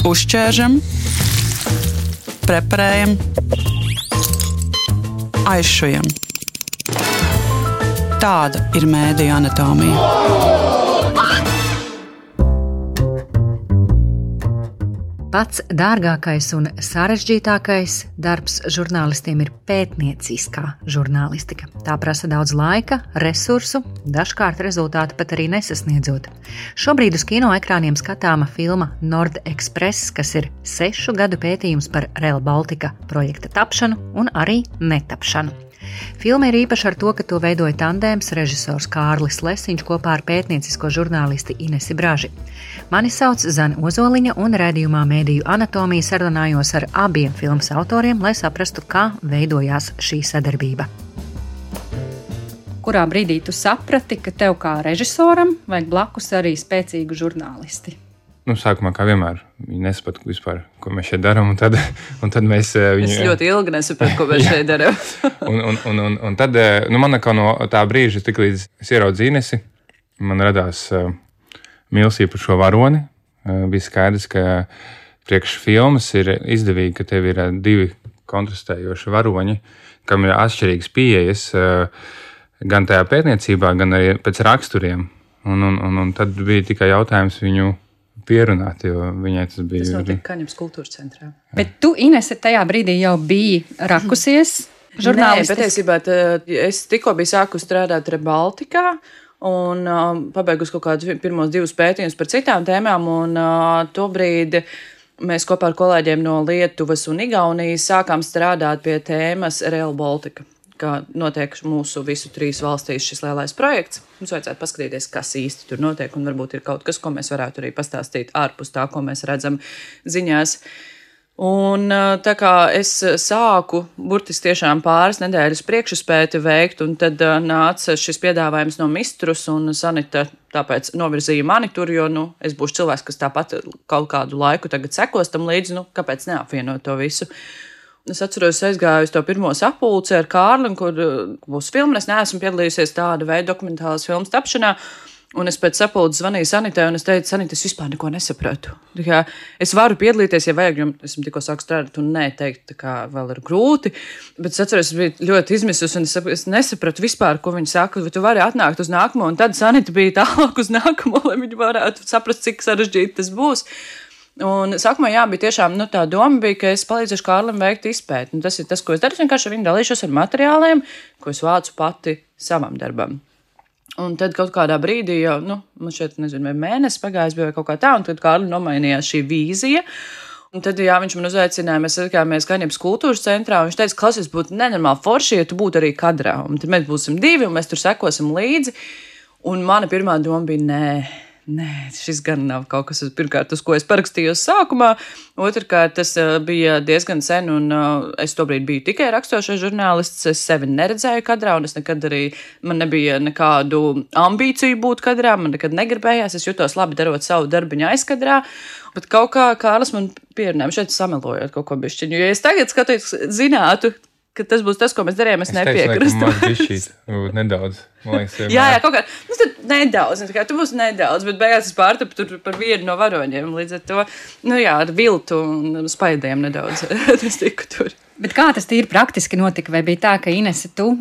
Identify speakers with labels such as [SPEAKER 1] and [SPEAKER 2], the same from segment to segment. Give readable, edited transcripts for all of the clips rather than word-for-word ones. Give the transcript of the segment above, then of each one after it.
[SPEAKER 1] Uzķēršam, preparējam, aizšujam. Tāda ir mēdīju anatomija.
[SPEAKER 2] Pats dārgākais un sarežģītākais darbs žurnālistiem ir pētnieciskā žurnālistika. Tā prasa daudz laika, resursu, dažkārt rezultāti pat arī nesasniedzot. Šobrīd uz kinoekrāniem skatāma filma Nord-Express, kas ir 6 gadu pētījums par Rail Baltica projekta tapšanu un arī netapšanu. Filma ir īpaša ar to, ka to veidoja tandēms režisors Kārlis Lesiņš kopā ar pētniecisko žurnālisti Inesi Braži. Mani sauc Zane Ozoliņa un raidījumā Mēdīju anatomija sarunājos ar abiem filmas autoriem, lai saprastu, kā veidojās šī sadarbība.
[SPEAKER 3] Kurā brīdī tu saprati, ka tev kā režisoram vajag blakus arī spēcīgu žurnālisti?
[SPEAKER 4] Sākumā, kā vienmēr, viņi nesaprata vispār, ko mēs šeit darām, un tad mēs viņu...
[SPEAKER 5] Es ļoti ilgi nesapratu, ko mēs šeit darām.
[SPEAKER 4] un tad, man no tā brīža, tik līdz es ieraudzīju Inesi, man radās mīlestība par šo varoni. Bija skaidrs, ka priekš filmas ir izdevīgi, ka tev ir 2 kontrastējoši varoņi, kam ir atšķirīgas pieejas, gan tajā pētniecībā, gan arī pēc raksturiem. Un tad bija tikai jautājums viņu pierunāt, jo viņai tas bija...
[SPEAKER 5] Tas notika Kaņepes kultūras centrā.
[SPEAKER 3] Bet tu, Inese, tajā brīdī jau biji rakusies žurnālistiski?
[SPEAKER 5] Nē, patiesībā es tikko biju sākusi strādāt Rail Balticā un pabeigusi kaut kādus pirmos 2 pētījumus par citām tēmām, un tobrīd mēs kopā ar kolēģiem no Lietuvas un Igaunijas sākām strādāt pie tēmas Rail Baltica, kā notiek mūsu visu 3 valstīs šis lielais projekts. Mums vajadzētu paskatīties, kas īsti tur notiek, un varbūt ir kaut kas, ko mēs varētu arī pastāstīt ārpus tā, ko mēs redzam ziņās. Un tā kā es sāku burtiski tiešām pāris nedēļas priekšspēti veikt, un tad nāca šis piedāvājums no Mistrus, un Sanita tāpēc novirzīja mani tur, jo es būšu cilvēks, kas tāpat kaut kādu laiku tagad sekos tam līdzi, kāpēc neapvienot to visu. Es atceros, aizgāju uz to pirmo sapulci ar Kārli, kur būs filma. Es neesmu piedalījusies tāda veida dokumentālas filmas tapšanā. Un es pēc sapulces zvanīju Sanitai, un es teicu, Sanita, es vispār neko nesapratu. Es varu piedalīties, ja vajag, jo esmu tikko sāku strādāt un neteikt, kā vēl ir grūti. Bet es atceros, es biju ļoti izmisus, un es nesapratu vispār, ko viņi saka. Vai tu vari atnākt uz nākamo, un tad Sanita bija tālāk uz nākamo, lai viņi varētu saprast, cik sarežģīti tas būs. Un sākumā bija tiešām tā doma, ka es palīdzēšu Kārlim veikt izpēti. Tas ir tas, ko es daru. Es vienkārši viņu dalīšos ar materiāliem, ko es vācu pati savam darbam. Un tad kaut kādā brīdī jau, man šeit, nezinu, vai mēnesis pagājis bija vai kaut kā tā, un tad Kārlim nomainījās šī vīzija. Un tad, viņš man uzaicināja, mēs satikāmies Kaņepes kultūras centrā, un viņš teica, klausies, būtu nenormāli forši, ja tu būtu arī kadrā. Un tad mēs būsim 2, un mēs tur sekosim līdzi. Un mana pirmā doma bija, Nē, šis gan nav kaut kas, pirmkārt, uz ko es parakstījos sākumā. Otrkārt, tas bija diezgan sen, un es tobrīd biju tikai rakstošais žurnālists. Es sevi neredzēju kadrā, un man nebija nekādu ambīciju būt kadrā, man nekad negribējās. Es jutos labi darot savu darbiņu aizkadrā, bet kaut kā Kārlis man pierunāja, šeit samelojot kaut ko bišķiņu. Jo es tagad zinātu, ka tas būs tas, ko mēs darījām, es nepiekrastu.
[SPEAKER 4] Man bišķīt, nedaudz.
[SPEAKER 5] Jā, kaut kā. Tad nedaudz, tu būsi nedaudz, bet beigās es pārtapu tur par vienu no varoņiem. Līdz ar to, ar viltu un spaidiem nedaudz. Es tiku tur.
[SPEAKER 3] Bet kā tas tīri praktiski notika? Vai bija tā, ka Inese, tu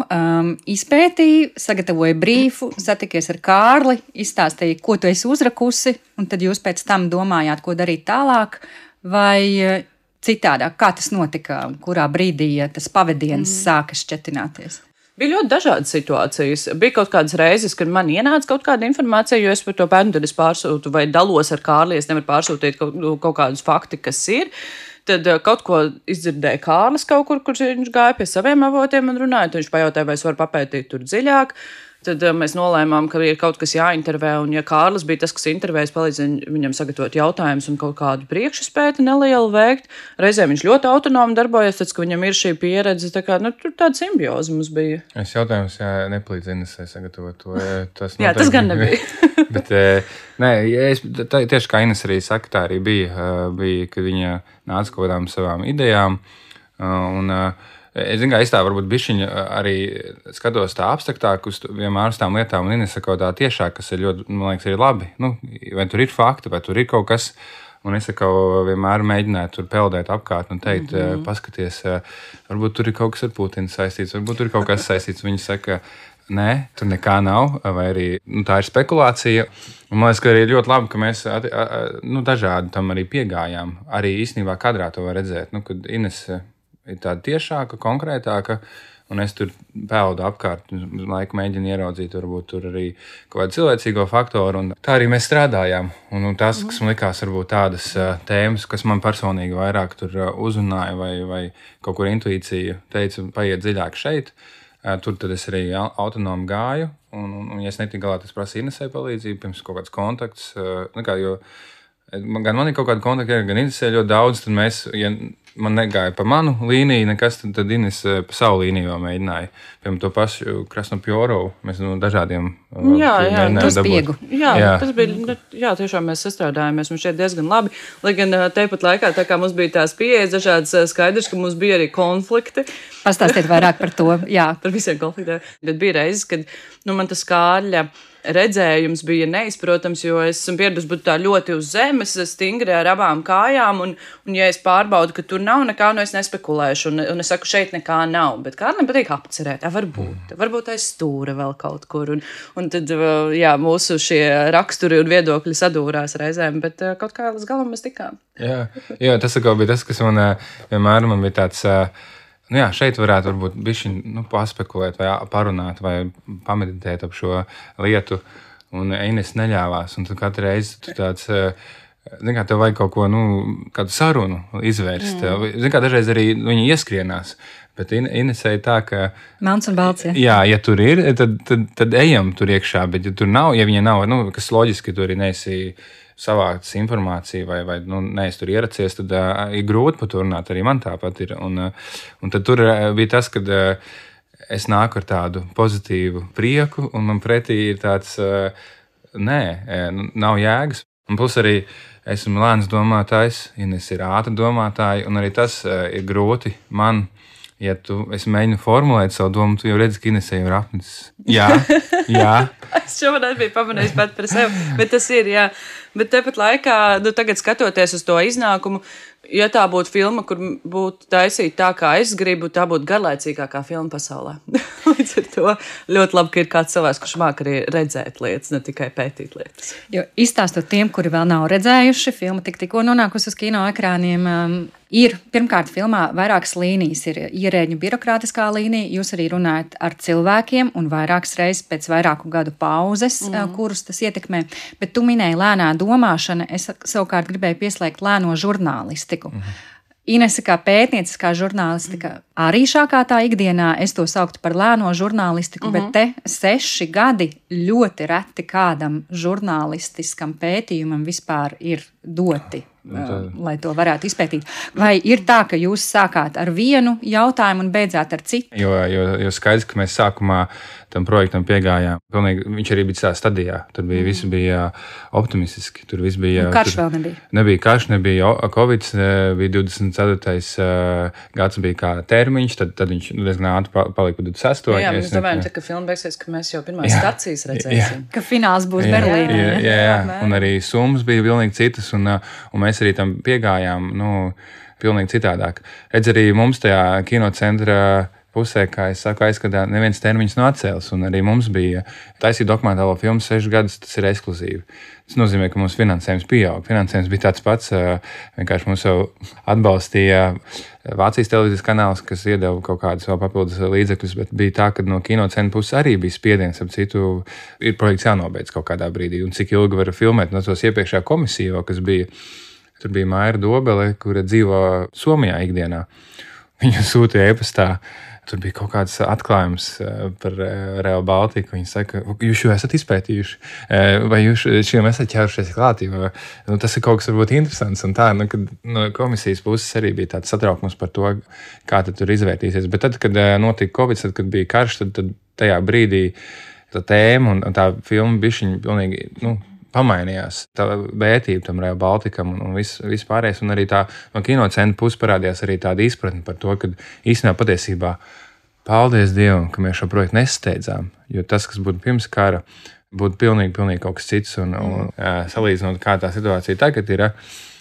[SPEAKER 3] izpētīji, sagatavoji brīfu, satikies ar Kārli, izstāstīji, ko tu esi uzrakusi, un tad jūs pēc tam domājāt, ko darīt tālāk, vai citādāk? Kā tas notika? Kurā brīdī tas pavadiens sāka šķetināties?
[SPEAKER 5] Bija ļoti dažādas situācijas. Bija kaut kādas reizes, kad man ienāca kaut kāda informācija, jo es par to pēdu, tad es pārsūtu vai dalos ar Kārli, es nevaru pārsūtīt kaut kādus fakti, kas ir. Tad kaut ko izdzirdēja Kārlis kaut kur viņš gāja pie saviem avotiem un runāja. Tad viņš pajautāja, vai es varu papētīt tur dziļāk. Tad mēs nolēmām, ka ir kaut kas jāintervē, un ja Kārlis bija tas, kas intervējas, palīdz viņam sagatavot jautājumus un kaut kādu priekšspēti nelielu veikt. Reizēm viņš ļoti autonomi darbojas, tad, ka viņam ir šī pieredze, tur tāda simbioze mums bija.
[SPEAKER 4] Es jautājums, nepalīdz Inesai sagatavot to.
[SPEAKER 5] Jā, tas gan nebija.
[SPEAKER 4] Bet, tieši kā Ines arī saka, tā arī bija, kad viņa nāca kaut kādām savām idejām, un es zinu, ka es tā varbūt bišķiņa arī skatos tā abstraktāk uz vienmēr uz tām lietām, un Inese kaut tā tiešāk, kas ir ļoti, man liekas, arī labi. Vai tur ir fakti, vai tur ir kaut kas, Un es vienmēr mēģināju tur peldēt apkārt un teikt, paskaties, varbūt tur ir kaut kas ar Putinu saistīts, varbūt tur ir kaut kas saistīts. Viņi saka, nē, tur nekā nav, vai arī tā ir spekulācija. Un man liekas, ka arī ļoti labi, ka mēs dažādi tam arī piegājām. Arī īstenībā kadrā to var redzēt, kad Inese ir tāda tiešāka, konkrētāka. Un es tur peldu apkārt, laiku mēģinu ieraudzīt, varbūt tur arī kaut kādu cilvēcīgo faktoru. Un tā arī mēs strādājām. Un tas, kas man likās, varbūt tādas tēmas, kas man personīgi vairāk tur uzrunāja, vai kaut kur intuīcija teica, paiet dziļāk šeit. Tur tad es arī autonomi gāju. Un ja es netiku galā, tas prasīja Inesei palīdzību, pirms kaut kāds kontakts. Gan man ir kaut kāda kontakta, gan Inesei ļoti daudz. Tad mēs, ja man negāja pa manu līniju, nekas, tad Ines pa savu līniju mēģināja. Piemēram, to pašu Krasnopjorovu. Mēs no dažādiem
[SPEAKER 3] to spiegu.
[SPEAKER 5] Tas bija, tiešām mēs sastrādājāmies, mums šeit diezgan labi. Lai gan tepat laikā, tā kā mums bija tās pieejas dažādas, skaidrs, ka mums bija arī konflikti.
[SPEAKER 3] Pastāstiet vairāk par to, jā.
[SPEAKER 5] Par visiem konfliktiem. Bet bija reizes, kad man tas Kārļa redzējums bija neizprotams, jo es esmu pieradusi būt tā ļoti uz zemes, stingri ar abām kājām, un ja es pārbaudu, ka tur nav nekā, es nespekulēšu, un es saku, šeit nekā nav, bet Kārlim patīk apcerēt, varbūt aiz stūra vēl kaut kur, un tad, mūsu šie raksturi un viedokļi sadūrās reizēm, bet kaut kā līdz galam mēs tikām.
[SPEAKER 4] Jā, tas bija tas, kas man vienmēr bija tāds... šeit varētu varbūt bišķiņ paspekulēt vai parunāt vai pameditēt ap šo lietu, un Ines neļāvās, un tu katru reizi tu tāds, tev vajag kaut ko, kādu sarunu izvērst. Dažreiz arī viņi ieskrienās, bet Inesei tā, ka...
[SPEAKER 3] Melns un balts,
[SPEAKER 4] Jā, ja tur ir, tad ejam tur iekšā, bet ja tur nav, ja viņa nav, kas loģiski, tur arī neesi savāktas informāciju vai neesi tur ieracies, tad ir grūti par to runāt. Arī man tāpat ir. Un tad tur bija tas, kad es nāku ar tādu pozitīvu prieku, un man pretī ir tāds, nav jēgas. Un plus arī esmu lēns domātājs, Ines ir ātra domātāja, un arī tas ir grūti man. Ja es mēģinu formulēt savu domu, tu jau redzi, ka Inesei ir apnicis. Jā.
[SPEAKER 5] Es šobrīd biju pamanījis pat par sevi, bet tas ir, jā. Bet tepat laikā, tagad skatoties uz to iznākumu, ja tā būtu filma, kur būtu taisīta tā, kā es gribu, tā būtu garlaicīgākā filma pasaulē. Līdz ar to ļoti labi, ka ir kāds cilvēks, kurš māk arī redzēt lietas, ne tikai pētīt lietas.
[SPEAKER 3] Jo izstāstot tiem, kuri vēl nav redzējuši, filma tikko nonākusi uz kino ekrāniem, ir pirmkārt filmā vairākas līnijas. Ir ierēģu birokrātiskā līnija, jūs arī runājat ar cilvēkiem un vairākas reizes pēc vairāku gadu pauzes, kurus tas ietekmē. Bet tu minēji lēnā domāšana, es savukārt gribēju pieslēgt lēno žurnālistiku. Inese kā pētnieciskā žurnālistika arī šākā tā ikdienā, es to sauktu par lēno žurnālistiku, bet te 6 gadi ļoti reti kādam žurnālistiskam pētījumam vispār ir doti, lai to varētu izpētīt. Vai ir tā, ka jūs sākāt ar vienu jautājumu un beidzāt ar citu?
[SPEAKER 4] Jo skaidrs, ka mēs sākumā tam projektam piegājām. Pilnīgi, viņš arī bija tādā stadijā. Tur bija viss bija optimistiski. Tur viss bija.
[SPEAKER 3] Karš vēl nebija.
[SPEAKER 4] Nebija karš, nebija Covid, bija 24. Gads bija kā termiņš, tad viņš diezgan ātri palika 26.
[SPEAKER 5] Jā, mēs domājam, ka filma beigsies, ka mēs jau pirmās stacijas redzēsim.
[SPEAKER 3] Ka fināls būs Berlīnē.
[SPEAKER 4] Jā. Un arī summas bija pilnīgi citas, un mēs arī tam piegājām, pilnīgi citādāk. Redz, arī mums tajā kinocentra pusē, kā es saku, aizskatā, neviens termiņš nav atcēlis, un arī mums bija taisīt dokumentālo filmu 6 gadus, tas ir ekskluzīvi. Tas nozīmē, ka mums finansējums pieaug. Finansējums bija tāds pats, vienkārši mums jau atbalstīja Vācijas televīzijas kanāls, kas iedeva kaut kādus vēl papildus līdzekļus, bet bija tā, ka no kinocentra puses arī bija spiediens, ap citu ir projekts jānobeidz kaut kādā brīdī, un cik ilgi var filmēt, no tos iepriekšējā komisija, kas bija, tur bija Maira Dobele, kura dzīvo Somijā ikdienā. Viņa sūtīja e-pastā. Tur bija kaut kāds atklājums par Rail Baltiku. Viņi saka, jūs jau esat izpētījuši, vai jūs šiem esat ķērušies klāt, jo tas ir kaut kas varbūt interesants. Un tā, kad no komisijas puses arī bija tāds satraukums par to, kā tad tur izvērtīsies. Bet tad, kad notika Covid, tad, kad bija karš, tad tajā brīdī tā tēma un tā filma bišķiņ pilnīgi, pamainījās. Tā vērtība tam Rail Baltikam un viss pārējais. Un arī tā no kinocentra puses parādījās arī tāda izpratne par to, ka īstenībā patiesībā paldies Dievam, ka mēs šo projektu nesteidzām. Jo tas, kas būtu pirms kara, būtu pilnīgi kaut kas cits. Un salīdzinot, kā tā situācija tagad ir,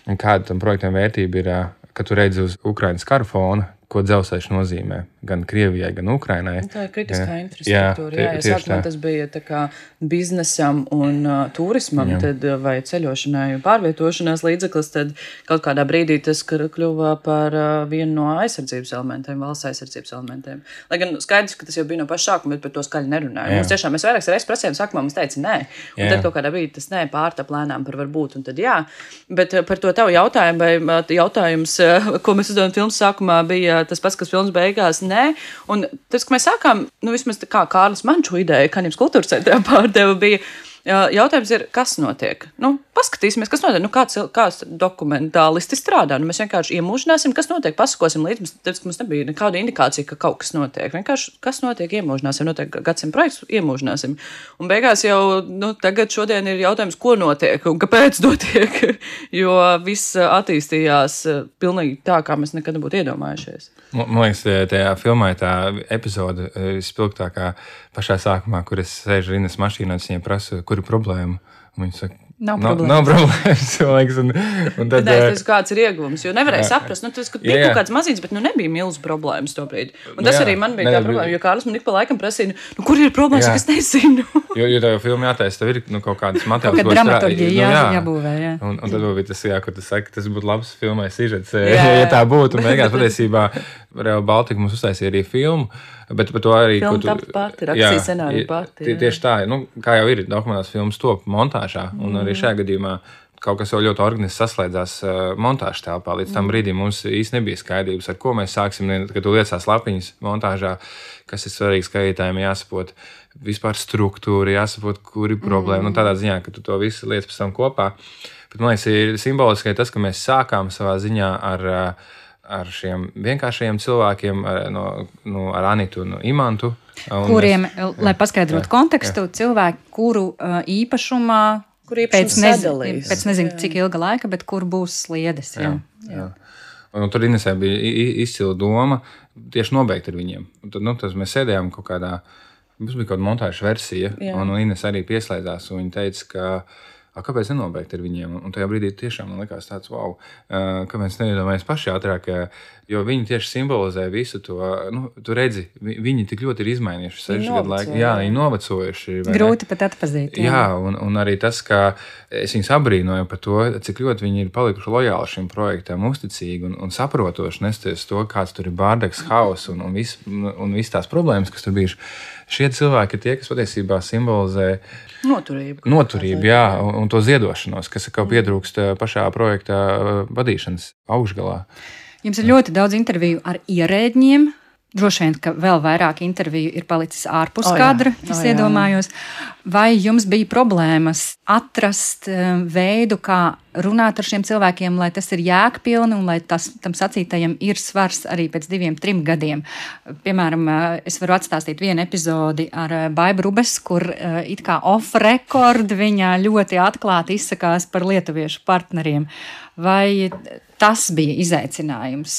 [SPEAKER 4] Un kāda tam projektam vērtība ir, ka tu redzi uz Ukrainas kara fona, ko dzelzceļš nozīmē gan Krievijai, gan Ukrainai.
[SPEAKER 5] Tā ir kritiskā infrastruktūra. Jā, sākumā tas bija tā kā biznesam un turismam, tad, vai ceļošanai un pārvietošanās līdzeklis, tad kaut kādā brīdī tas kļuva par vienu no aizsardzības elementiem, valsts aizsardzības elementiem. Lai gan skaidrs, ka tas jau bija no paša sākuma, bet par to skaļi nerunāja. Mums tiešām mēs vairākas reizes prasījām, sākumā mums teica nē, un tad kaut kādā brīdī tas nē pārtap lēnām par varbūt, un tad jā. Bet par to tavu jautājumu, vai jautājums, ko mēs uzdevām filmas sākumā, bija tas pats, kas filmas beigās, nē. Un tas, ka mēs sākām, vismaz kā Kārlis man šo ideju, Kanības kultūras centrā pārdeva, bija jautājums ir, kas notiek? Paskatīsimies, kas notiek. Kāds dokumentālisti strādā. Mēs vienkārši iemūžināsim, kas notiek, pasakosim līdz. Mums nebija nekāda indikācija, ka kaut kas notiek. Vienkārši, kas notiek, iemūžināsim. Notiek gadsimt projekts, iemūžināsim. Un beigās jau, tagad šodien ir jautājums, ko notiek un kāpēc notiek. Jo viss attīstījās pilnīgi tā, kā mēs nekad nebūtu iedomājušies.
[SPEAKER 4] Man liekas, tajā filmā tā epizode spilgtākā pašā sākumā, kur es sēžu Rindas mašīnā, es viņai prasu, kur ir problēma. Un viņi saka, nav problēmas. Un tad,
[SPEAKER 5] tas kāds ir ieguvums, jo nevarēja saprast, tas, ka bija kaut kāds mazīts, bet nebija milzu problēmas to brīdi. Un tas arī man bija tā problēma, jo Kārlis man ik pa laikam prasīja, kur ir problēmas, kas nezinu.
[SPEAKER 4] Jo tev filmā jātaisa, tev ir kaut kādas materiāls.
[SPEAKER 3] Kaut kāda dramaturģija jābūvē, jā.
[SPEAKER 4] Un tad bija tas, kur tu saki, tas būtu labs filmai sižets, ja tā būtu. Un beigās patiesībā Real Baltica mums uztaisīja arī filmu. Bet par to arī
[SPEAKER 5] rakstīja scenāriju pati.
[SPEAKER 4] Tieši tā, kā jau ir dokumentālās filmas top montāžā, un arī šajā gadījumā kaut kas jau ļoti organiski saslēdzās montāžas telpā. Līdz tam brīdim mums īsti nebija skaidrības, ar ko mēs sāksim, kad tu liecās lapiņas montāžā, kas ir svarīgi skatītājiem, jāsaprot vispār struktūra, jāsaprot, kur ir problēma. Tādā ziņā, ka tu to visu liec pēc tam kopā. Bet man liekas, ir simboliski tas, ka mēs sākām savā ziņā ar šiem vienkāršajiem cilvēkiem, ar Anitu un Imantu.
[SPEAKER 3] Kuriem, lai paskaidrotu kontekstu, cilvēki, kuru īpašumā pēc nezinu, cik ilga laika, bet kur būs sliedes. Jā.
[SPEAKER 4] Un tur Inesē bija izcila doma tieši nobeigt ar viņiem. Un tad, tas mēs sēdējām kaut kādā, mums bija kaut kāda montāža versija, un Ines arī pieslēdzās, un viņa teica, ka kāpēc nenobeigt ar viņiem? Un tajā brīdī tiešām man likās tāds, wow, kāpēc neiedomājies paši ātrāk, jo viņi tieši simbolizē visu to, tu redzi, viņi tik ļoti ir izmainījuši 6 gadu laiku. Jā, viņi novecojuši.
[SPEAKER 3] Grūti pat atpazīt.
[SPEAKER 4] Jā, un arī tas, ka es viņus abrīnoju par to, cik ļoti viņi ir palikuši lojāli šim projektam, uzticīgi un saprotoši nesties to, kāds tur ir bārdeks, haus un viss tās problēmas, kas tur bijuši. Šie cilvēki ir tie, kas patiesībā simbolizē noturību, jā, un to ziedošanos, kas kaut pietrūkst pašā projekta vadīšanas augšgalā.
[SPEAKER 3] Jums ir ļoti daudz interviju ar ierēdņiem. Droši vien, ka vēl vairāk interviju ir palicis ārpus kadra, es iedomājos. Vai jums bija problēmas atrast veidu, kā runāt ar šiem cilvēkiem, lai tas ir jēgpilni un lai tam sacītajam ir svars arī pēc 2-3 gadiem? Piemēram, es varu atstāstīt vienu epizodi ar Baibu Rubes, kur it kā off-record viņa ļoti atklāti izsakās par lietuviešu partneriem. Vai tas bija izaicinājums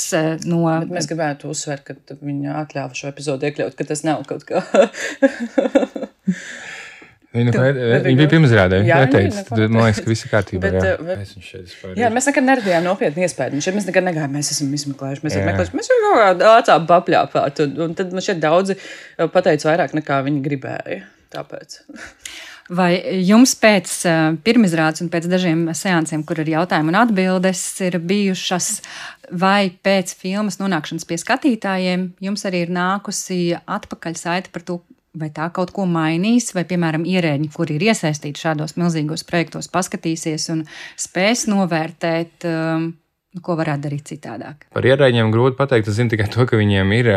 [SPEAKER 3] no...
[SPEAKER 5] Bet mēs gribētu uzsvērt, ka viņa atļāva šo epizodu iekļaut, ka tas nav kaut kā...
[SPEAKER 4] Viņa bija pirmsrādē. Man liekas, ka viss ir kārtībā.
[SPEAKER 5] Jā, mēs nekad neradījām nopietni iespēju. Mēs nekad negājām, mēs esam izmeklējuši. Mēs jau kaut kādā ācām papļāpāt. Un tad man šeit daudzi pateica vairāk nekā viņi gribēja. Tāpēc...
[SPEAKER 3] Vai jums pēc pirmizrādes un pēc dažiem seansiem, kur ir jautājumi un atbildes, ir bijušas, vai pēc filmas nonākšanas pie skatītājiem, jums arī ir nākusi atpakaļ saite par to, vai tā kaut ko mainīs, vai, piemēram, ierēģi, kuri ir iesaistīti šādos milzīgos projektos, paskatīsies un spēs novērtēt, ko varētu darīt citādāk?
[SPEAKER 4] Par ierēģiem grūti pateikt. Es zinu tikai to, ka viņiem ir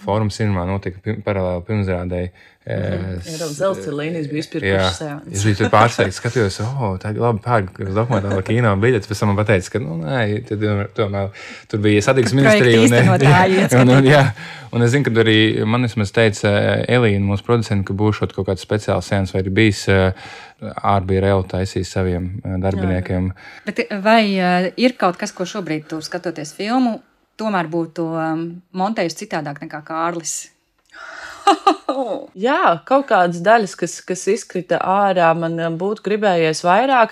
[SPEAKER 4] Fórums cinemā notika paralēli pirmsrādēji.
[SPEAKER 5] Zelta līnijas bija izpirkušas seanses.
[SPEAKER 4] Es biju tur pārsteigts, skatījos, tā ir labi pērk uz dokumentālo kino biļetes, pēc tam man pateica, ka, tomēr tur bija satiksmes ministrija. Un es zinu, ka arī man vismaz teica Elīna, mūsu producenti, ka būšot kaut kāds speciāls seans, vai ir bijis ārbija reāli taisījis saviem darbiniekiem.
[SPEAKER 3] Bet vai ir kaut kas, ko šobrīd tu skatoties filmu, tomēr būtu montējis citādāk nekā Kārlis?
[SPEAKER 5] Jā, kaut kādas daļas, kas izkrita ārā, man būtu gribējies vairāk.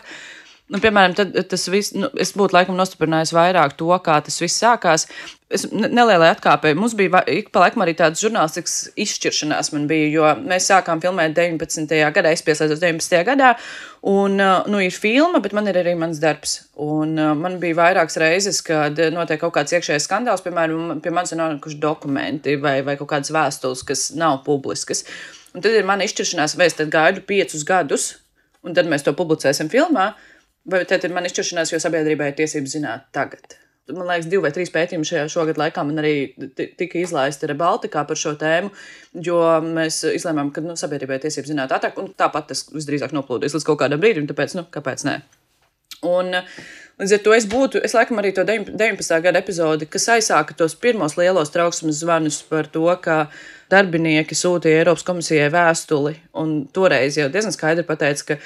[SPEAKER 5] Piemēram, tad tas viss, es būtu laikam nostiprinājis vairāk to, kā tas viss sākās. Es nelielai atkāpēju. Mums bija ik pa laikam arī tādas žurnālistikas izšķiršanās man bija, jo mēs sākām filmēt 19. gadā, es pieslēdzos 19. gadā, un, ir filma, bet man ir arī mans darbs. Un man bija vairākas reizes, kad notiek kaut kāds iekšējais skandāls, piemēram, pie manis ir nonākuši dokumenti vai kaut kādas vēstules, kas nav publiskas. Un tad ir mana izšķiršanās, vai es tad gaidu 5 gadus, un tad mēs to publicēsim filmā, vai tad ir man izšķiršanās, jo sabiedrībai ir tiesības zināt tagad. Man liekas, 2 vai 3 pētījumi šogad laikā man arī tika izlaisti Rebaltikā par šo tēmu, jo mēs izlēmām, ka sabiedrībai ir tiesības zināt ātrāk, un tāpat tas visdrīzāk noplūdies līdz kaut kādam brīdim, tāpēc, kāpēc nē. Un līdz ar to es laikam arī to 19. gada epizodi, kas aizsāka tos pirmos lielos trauksmes zvanus par to, ka darbinieki sūtīja Eiropas komisijai vēstuli, un toreiz jau diezgan skaidri pateica, ka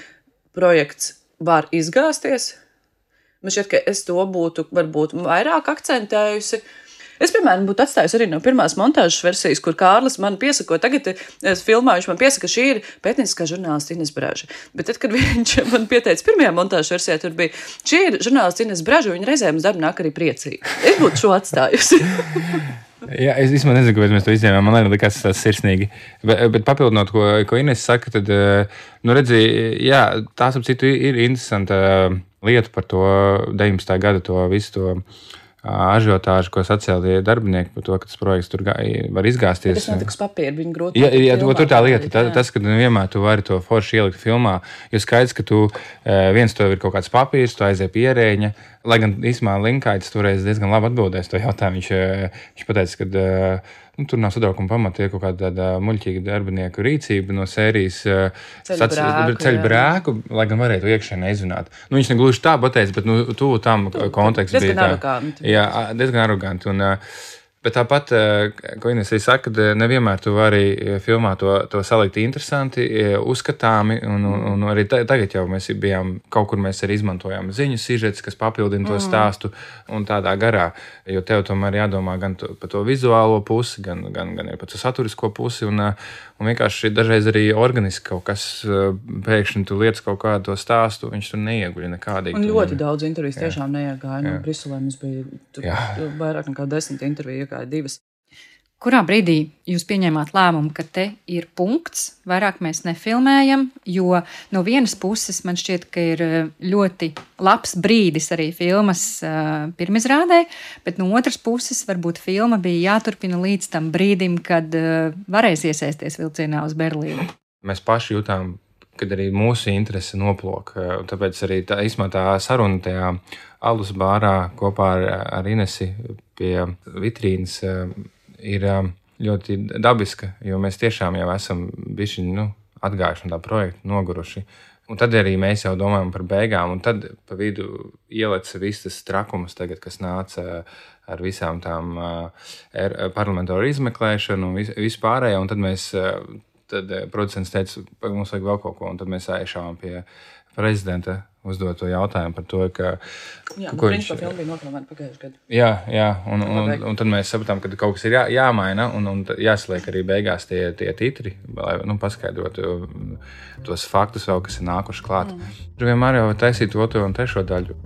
[SPEAKER 5] projekts var izgāzties. Man šķiet, ka es to būtu varbūt vairāk akcentējusi. Es, piemēram, būtu atstājusi arī no pirmās montāžas versijas, kur Kārlis man piesako, tagad es filmā, viņš man piesaka, ka šī ir pētnieciskā žurnālista Ines Braža. Bet tad, kad viņš man pieteica pirmajā montāžas versijā, tur bija, šī ir žurnālista Ines Braža, viņa reizēm uz darbu nāk arī priecīgi. Es būtu šo atstājusi.
[SPEAKER 4] Jā, es īstenībā nezinu, kāpēc mēs to izņēmām. Man arī likās tas sirsnīgi. Bet papildinot, ko Ines saka, tad, redzi, jā, tās ap citu ir interesanta lieta par to 19. gada, to visu to ažiotāžu, ko sacēla darbinieki par to, ka tas projekts tur var izgāzties.
[SPEAKER 5] Tas netiks papīri, viņi grūti.
[SPEAKER 4] Jā, tur tā lieta, tas, ka vienmēr tu vari to forši ielikt filmā, jo skaidrs, ka tu viens tev ir kaut kāds papīrs, tu aizies pie ierēģa, lai gan īsumā Linkaitis toreiz diezgan labi atbildēs to jautājumu. Viņš pateica, ka tur nav satraukuma pamata, ir kaut kāda tāda muļķīga darbinieku rīcība no sērijas ceļu brēku, lai gan varētu iekšēnē izrunāt. Viņš negluži tā pateica, bet tuvu tam konteksts bija tā.
[SPEAKER 5] Aroganti.
[SPEAKER 4] Jā, diezgan aroganti. Bet tāpat, ko Ines arī saka, nevienmēr tu vari filmā to salikt interesanti, uzskatāmi, un arī tagad jau mēs bijām, kaut kur mēs arī izmantojām ziņu sižets, kas papildina to stāstu un tādā garā, jo tev tomēr jādomā gan par to vizuālo pusi, gan arī par to saturisko pusi, un vienkārši dažreiz arī organiski kaut kas pēkšņi tu lietas kaut kādu to stāstu, viņš tur neieguļ nekādīgi.
[SPEAKER 5] Un ļoti daudz intervijas tiešām neiegāja. No Briselē mums bija vairāk nekā 10 interviju, iegāja 2.
[SPEAKER 3] Kurā brīdī jūs pieņēmāt lēmumu, ka te ir punkts, vairāk mēs nefilmējam, jo no vienas puses man šķiet, ka ir ļoti labs brīdis arī filmas pirmizrādē, bet no otras puses varbūt filma bija jāturpina līdz tam brīdim, kad varēs iesaisties vilcienā uz Berlīnu.
[SPEAKER 4] Mēs paši jutām, kad arī mūsu interese noplok, tāpēc arī tā saruna tajā alus bārā kopā ar Inesi pie vitrīnas ir ļoti dabiska, jo mēs tiešām jau esam bišķiņi atgājuši no tā projekta, noguruši. Un tad arī mēs jau domājam par beigām, un tad pa vidu ieleca viss tas trakums tagad, kas nāca ar visām tām parlamentāru izmeklēšanu un vispārējo, un tad producents teica, mums vajag vēl kaut ko, un tad mēs aizšāvām pie prezidenta uzdot to jautājumu par to, ka...
[SPEAKER 5] Jā, principā filma bija nofilmēta pagājušajā gadā.
[SPEAKER 4] Jā, un tad mēs sapratām, ka kaut kas ir jāmaina, un jāsaliek arī beigās tie titri, lai paskaidrotu tos faktus vēl, kas ir nākuši klāt. Tur vienmēr jau taisīt 2. un 3. daļu.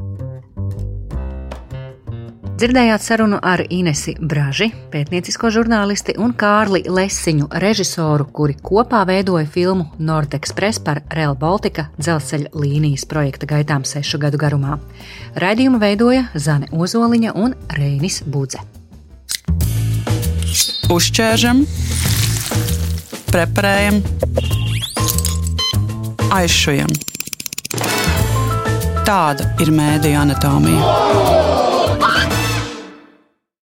[SPEAKER 2] Dzirdējāt sarunu ar Inesi Braži, pētniecisko žurnālisti, un Kārli Lesiņu, režisoru, kuri kopā veidoja filmu Nord-Express par Rail Baltica dzelzceļa līnijas projekta gaitām 6 gadu garumā. Raidījumu veidoja Zane Ozoliņa un Reinis Budze.
[SPEAKER 1] Uzķēršam, preparējam, aizšujam. Tāda ir mēdīju anatomija.